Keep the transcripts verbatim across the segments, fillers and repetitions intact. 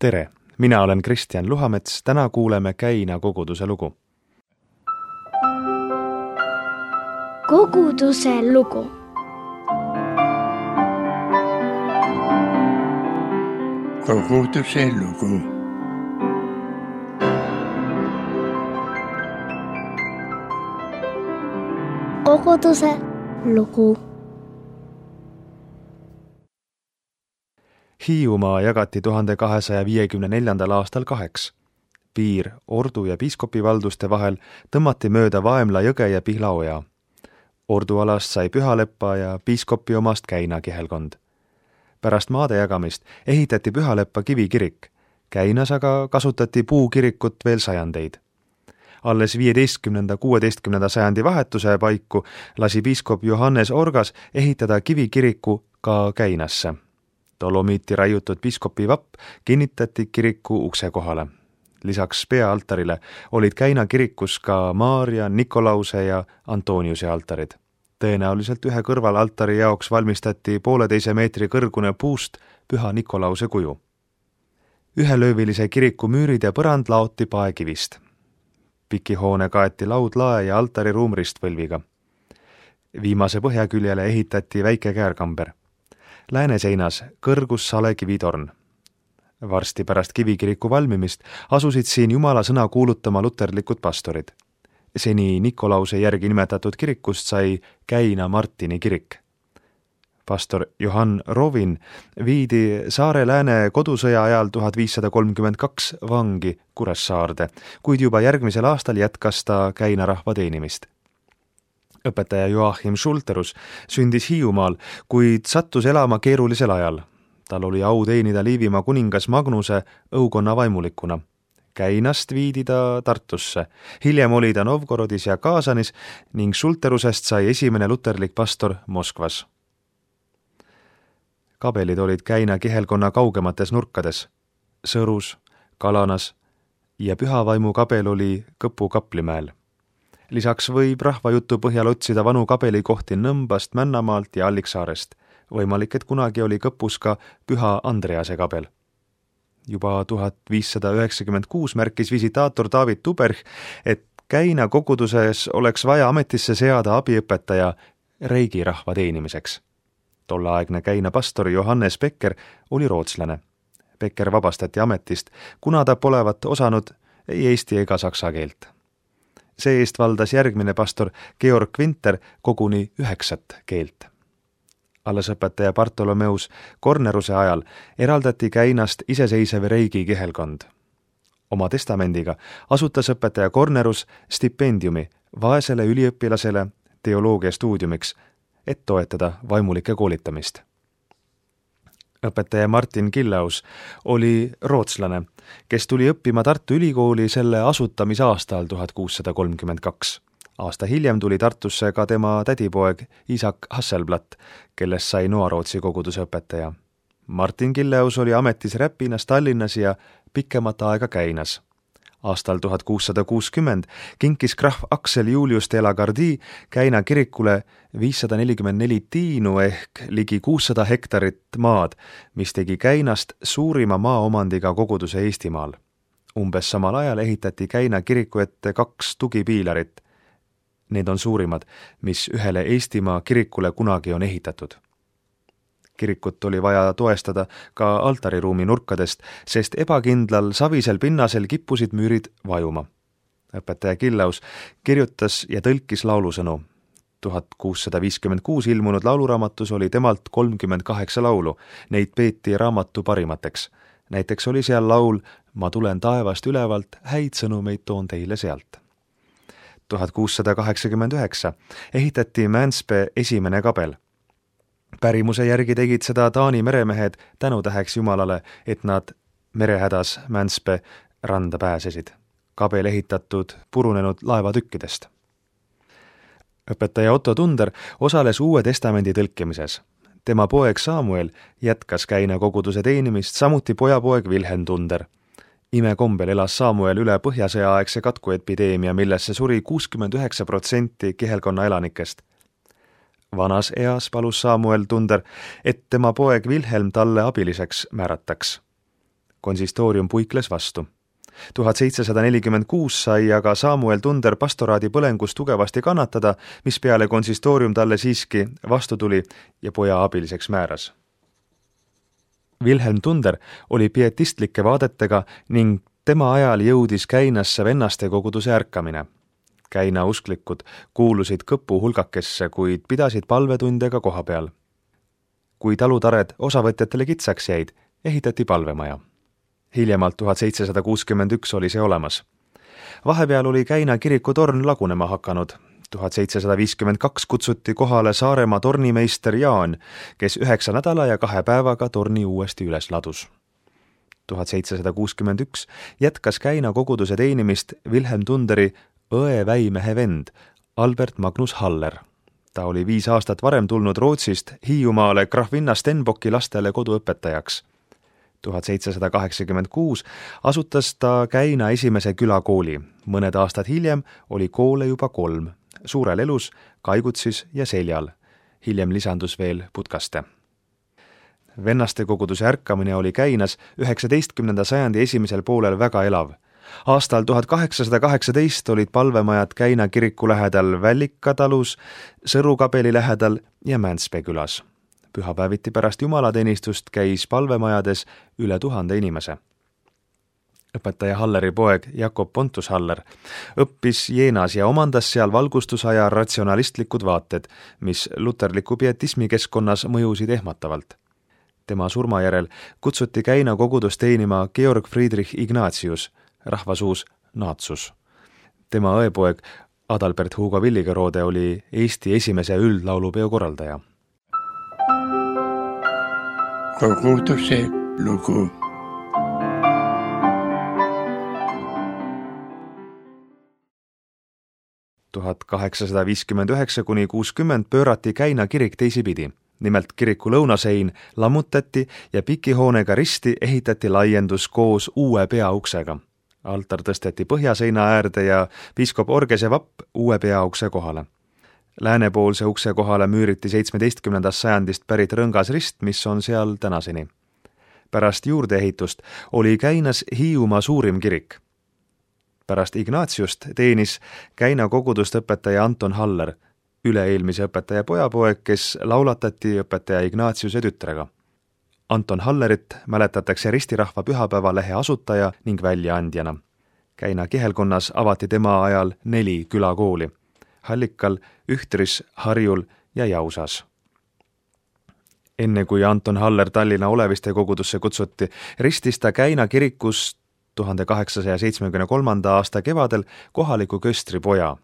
Tere! Mina olen Kristjan Luhamets, täna kuuleme Käina koguduse lugu. Koguduse lugu. Koguduse lugu. Koguduse lugu. Hiiumaa jagati tuhande kahesaja viiekümne neljandal aastal kaheks. Piir Ordu ja Piiskopi valduste vahel tõmmati mööda Vaemla jõge ja Pihlaoja. Ordu alast sai Pühaleppa ja Piiskopi omast Käina kihelkond. Pärast maade jagamist ehitati Pühaleppa kivikirik. Käinas aga kasutati puukirikut veel sajandeid. Alles viieteistkümnenda kuueteistkümnenda sajandi vahetuse paiku lasi piiskop Johannes Orgas ehitada kivikiriku ka Käinasse. Dolomiiti raiutud piiskopi vapp kinnitati kiriku ukse kohale. Lisaks peaaltarile olid Käina kirikus ka Maarja, Nikolause ja Antoniuse altarid. Tõenäoliselt ühe kõrval altari jaoks valmistati pooleteise meetri kõrgune puust Püha Nikolause kuju. Ühelöövilise kiriku müürid ja põrand laoti paekivist. Pikihoone kaeti laudlae ja altari ruumristvõlviga. Viimase põhjaküljele ehitati väike käärkamber. Lääneseinas kõrgus salekivitorn. Varsti pärast kivikiriku valmimist asusid siin Jumala sõna kuulutama luterlikud pastorid. Seni Nikolause järgi nimetatud kirikust sai Käina Martini kirik. Pastor Johann Rovin viidi Saare Lääne kodusõja ajal tuhat viissada kolmkümmend kaks vangi Kuressaarde, kuid juba järgmisel aastal jätkas ta Käina rahva teenimist. Õpetaja Joachim Schulterus sündis Hiiumaal, kuid sattus elama keerulisel ajal. Tal oli au teenida Liivimaa kuningas Magnuse õukonna vaimulikuna. Käinast viidi ta Tartusse. Hiljem oli ta Novgorodis ja Kaasanis ning Schulterusest sai esimene luterlik pastor Moskvas. Kabelid olid Käina kihelkonna kaugemates nurkades. Sõrus, Kalanas ja Pühavaimu kabel oli Kõpu kaplimäel. Lisaks võib rahvajutu põhjal otsida vanu kabelikohti Nõmbast, Männamaalt ja Alliksaarest. Võimalik, et kunagi oli Kõpus ka Püha Andrease kabel. Juba tuhat viissada üheksakümmend kuus märkis visitaator David Tuberg, et Käina koguduses oleks vaja ametisse seada abiõpetaja Reigi rahva teenimiseks. Tolleaegne Käina pastor Johannes Becker oli rootslane. Becker vabastati ametist, kuna ta polevat osanud ei eesti ega saksa keelt. See eest valdas järgmine pastor Georg Winter koguni üheksat keelt. Alles õpetaja Bartolomeus Korneruse ajal eraldati Käinast iseseisev Reigi kihelkond. Oma testamendiga asutas õpetaja Kornerus stipendiumi vaesele üliõpilasele teoloogia stuudiumiks, et toetada vaimulike koolitamist. Õpetaja Martin Killaus oli rootslane, kes tuli õppima Tartu Ülikooli selle asutamisaastal tuhat kuussada kolmkümmend kaks. Aasta hiljem tuli Tartusse ka tema tädipoeg Isak Hasselblatt, kellest sai Noarootsi koguduse õpetaja. Martin Killaus oli ametis Räpinas, Tallinnas ja pikemat aega Käinas. Aastal tuhat kuussada kuuskümmend kinkis krahv Aksel Julius de la Gardie Käina kirikule viissada nelikümmend neli tiinu ehk ligi kuussada hektarit maad, mis tegi Käinast suurima maaomandiga koguduse Eestimaal. Umbes samal ajal ehitati Käina kiriku ette kaks tugipiilarit. Need on suurimad, mis ühele Eestimaa kirikule kunagi on ehitatud. Kirikut oli vaja toestada ka altariruumi nurkadest, sest ebakindlal savisel pinnasel kippusid müürid vajuma. Õpetaja Killaus kirjutas ja tõlkis laulusõnu. tuhat kuussada viiskümmend kuus ilmunud lauluraamatus oli temalt kolmkümmend kaheksa laulu. Neid peeti raamatu parimateks. Näiteks oli seal laul Ma tulen taevast ülevalt, häid sõnumeid toon teile sealt. tuhat kuussada kaheksakümmend üheksa ehitati Mänspe esimene kabel. Pärimuse järgi tegid seda Taani meremehed tänutäheks Jumalale, et nad merehädas Mänspe randa pääsesid. Kabel ehitatud purunenud laevatükkidest. Õpetaja Otto Tunder osales Uue testamendi tõlkimises. Tema poeg Samuel jätkas Käina koguduse teenimist, samuti pojapoeg Wilhelm Tunder. Imekombel elas Samuel üle põhjasõjaaegse katkuepideemia, millesse suri kuuskümmend üheksa protsenti kihelkonna elanikest. Vanas eas palus Samuel Tunder, et tema poeg Wilhelm talle abiliseks määrataks. konsistoorium puikles vastu. tuhat seitsesada nelikümmend kuus sai aga Samuel Tunder pastoraadi põlengus tugevasti kannatada, mis peale konsistoorium talle siiski vastu tuli ja poja abiliseks määras. Wilhelm Tunder oli pietistlike vaadetega ning tema ajal jõudis Käinasse vennaste koguduse ärkamine. Käina usklikud kuulusid kõpu hulgakesse, kuid pidasid palvetundega koha peal. Kui talutared osavõtjatele kitsaks jäid, ehitati palvemaja. Hiljemalt tuhat seitsesada kuuskümmend üks oli see olemas. Vahepeal oli Käina kiriku torn lagunema hakanud. tuhat seitsesada viiskümmend kaks kutsuti kohale Saaremaa tornimeister Jaan, kes üheksa nädala ja kahe päevaga torni uuesti üles ladus. tuhat seitsesada kuuskümmend üks jätkas Käina koguduse teenimist Wilhelm Tunderi õe väimehe vend Albert Magnus Haller. Ta oli viis aastat varem tulnud Rootsist Hiiumaale Grafvinna Stenbocki lastele koduõpetajaks. tuhat seitsesada kaheksakümmend kuus asutas ta Käina esimese külakooli. Mõned aastad hiljem oli koole juba kolm, Suurel Elus, Kaigutsis ja Seljal. Hiljem lisandus veel Putkaste. Vennaste koguduse ärkamine oli Käinas üheksateistkümnenda sajandi esimesel poolel väga elav. Aastal tuhat kaheksasada kaheksateist olid palvemajad Käina kiriku lähedal Vällika talus, Sõru kabeli lähedal ja Mäntspee külas. Pühapäeviti pärast jumalateenistust käis palvemajades üle tuhande inimese. Õpetaja Halleri poeg Jakob Pontus Haller õppis Jeenas ja omandas seal valgustusaja ratsionalistlikud vaated, mis luterliku pietismi keskkonnas mõjusid ehmatavalt. Tema surma järel kutsuti Käina kogudust teenima Georg Friedrich Ignatius, rahvasuus Naatsus. Tema õepoeg Adalbert Hugo Villigerode oli Eesti esimese üldlaulupeo korraldaja. Koguduse lugu. tuhat kaheksasada viiskümmend üheksa kuni kuuskümmend pöörati Käina kirik teisipidi. Nimelt kiriku lõunasein lammutati ja pikihoonega risti ehitati laiendus koos uue peauksega. Altar tõsteti põhjaseina äärde ja piiskop Orgese vapp uue peaukse kohale. Läänepoolse ukse kohale müüriti seitsmeteistkümnendast sajandist pärit rõngas rist, mis on seal tänaseni. Pärast juurdeehitust oli Käinas Hiiumaa suurim kirik. Pärast Ignatiust teenis Käina kogudust õpetaja Anton Haller, üle-eelmise õpetaja pojapoeg, kes laulatati õpetaja Ignatiuse tütrega. Anton Hallerit mäletatakse ristirahva pühapäevalehe asutaja ning väljaandjana. Käina kihelkonnas avati tema ajal neli külakooli. Hallikal, Ühtris, Harjul ja Jausas. Enne kui Anton Haller Tallinna Oleviste kogudusse kutsuti, ristis ta Käina kirikus tuhande kaheksasaja seitsmekümne kolmanda aasta kevadel kohaliku köstri poja.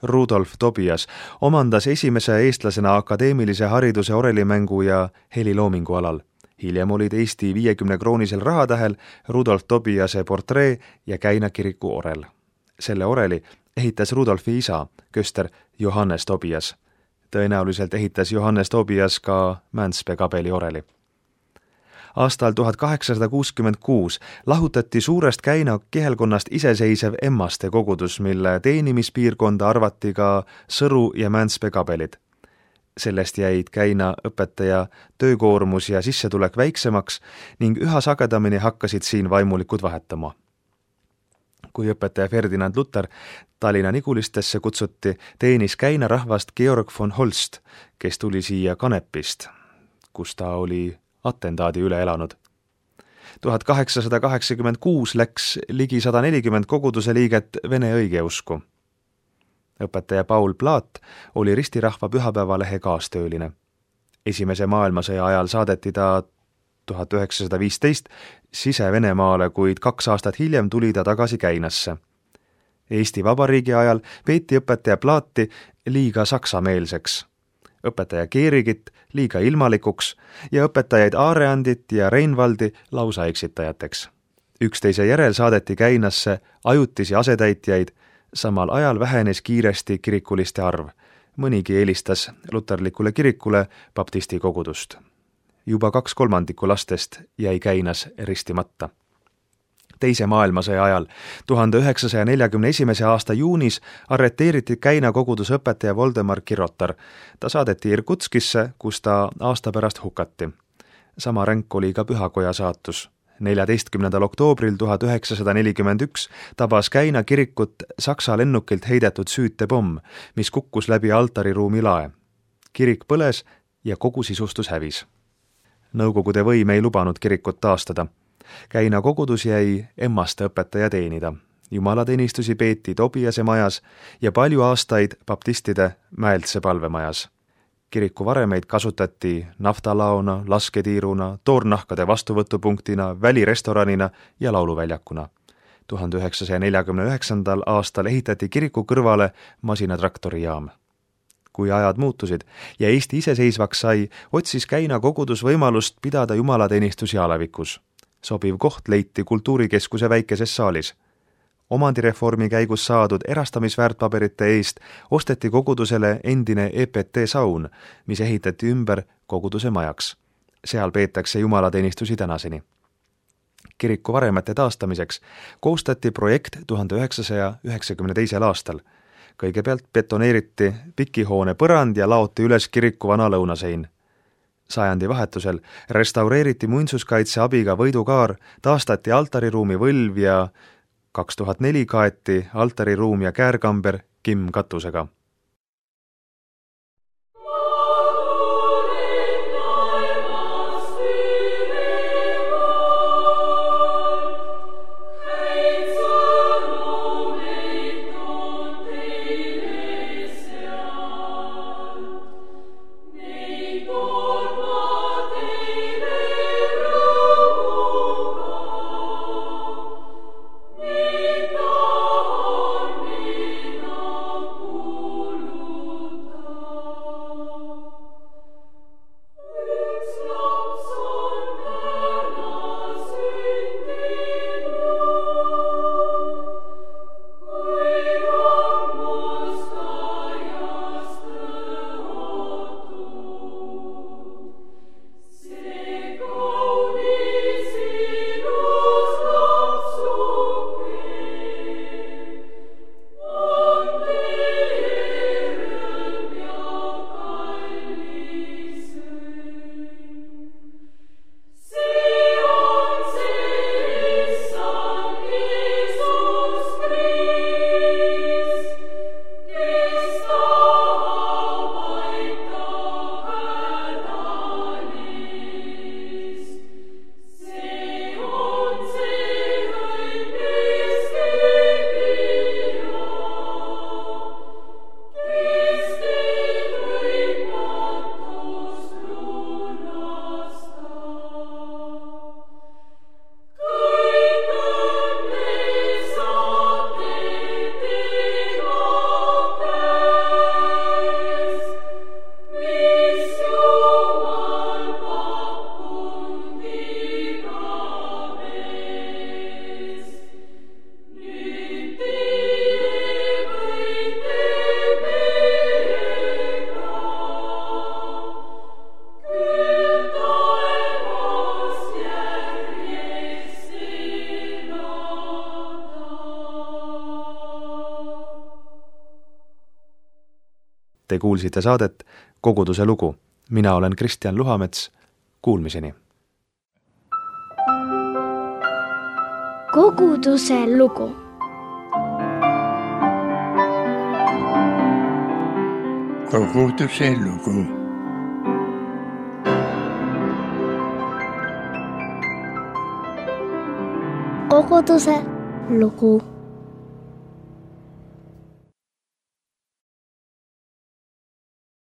Rudolf Tobias omandas esimese eestlasena akadeemilise hariduse orelimängu ja heliloomingu alal. Hiljem olid Eesti viiekümne kroonisel rahatähel Rudolf Tobiase portree ja Käina kiriku orel. Selle oreli ehitas Rudolfi isa, köster Johannes Tobias. Tõenäoliselt ehitas Johannes Tobias ka Mäntspee kabeli oreli. Aastal tuhat kaheksasada kuuskümmend kuus lahutati suurest Käina kihelkonnast iseseisev Emmaste kogudus, mille teenimispiirkonda arvati ka Sõru ja Mäntspee kabelid. Sellest jäid Käina õpetaja töökoormus ja sissetulek väiksemaks ning üha sagedamini hakkasid siin vaimulikud vahetama. Kui õpetaja Ferdinand Luther Tallinna Nigulistesse kutsuti, teenis Käina rahvast Georg von Holst, kes tuli siia Kanepist, kus ta oli atentaadi üle elanud. tuhat kaheksasada kaheksakümmend kuus läks ligi sada nelikümmend koguduse liiget vene õigeusku. Õpetaja Paul Plaat oli ristirahva pühapäevalehe kaastööline. Esimese maailmasõja ajal saadeti ta tuhat üheksasada viisteist Sise-Venemaale, kuid kaks aastat hiljem tuli ta tagasi Käinasse. Eesti Vabariigi ajal peeti õpetaja Plaati liiga saksameelseks, õpetaja Keerigit liiga ilmalikuks ja õpetajaid Aareandit ja Reinvaldi lausa eksitajateks. Üksteise järel saadeti Käinasse ajutisi asetäitjaid, samal ajal vähenes kiiresti kirikuliste arv. Mõnigi eelistas luterlikule kirikule baptisti kogudust. Juba kaks kolmandikku lastest jäi Käinas ristimata. Teise maailmasõja ajal, tuhande üheksasaja neljakümne esimese aasta juunis, arreteeriti Käina koguduse õpetaja Voldemar Kirotar. Ta saadeti Irkutskisse, kus ta aasta pärast hukati. Sama ränk oli ka pühakoja saatus. neljateistkümnendal oktoobril tuhat üheksasada nelikümmend üks tabas Käina kirikut Saksa lennukilt heidetud süütepomm, mis kukkus läbi altariruumi lae. Kirik põles ja kogu sisustus hävis. Nõukogude võim ei lubanud kirikut taastada. Käina kogudus jäi emmaste õpetaja teenida. Jumalateenistusi peeti Tobiase majas ja palju aastaid baptistide Mäeltse palvemajas. Kiriku varemeid kasutati naftalaona, lasketiiruna, toornahkade vastuvõtupunktina, välirestoranina ja lauluväljakuna. tuhande üheksasaja neljakümne üheksandal aastal ehitati kiriku kõrvale masinatraktorijaam. Kui ajad muutusid ja Eesti iseseisvaks sai, otsis Käina kogudus võimalust pidada jumalateenistusi alevikus. Sobiv koht leiti kultuurikeskuse väikeses saalis. Omandireformi käigus saadud erastamisväärtpaberite eest osteti kogudusele endine E P T saun, mis ehitati ümber koguduse majaks. Seal peetakse jumalateenistusi tänaseni. Kiriku varemete taastamiseks koostati projekt tuhande üheksasaja üheksakümne teisel aastal. Kõigepealt betoneeriti pikihoone põrand ja laoti üles kiriku vana lõunasein. Sajandi vahetusel restaureeriti muinsuskaitse abiga võidukaar, taastati altariruumi võlv ja kaks tuhat neli kaeti altariruum ja käärkamber kimmkatusega. Te kuulsite saadet Koguduse lugu. Mina olen Kristjan Luhamets. Kuulmiseni. Koguduse lugu. Koguduse lugu. Koguduse lugu.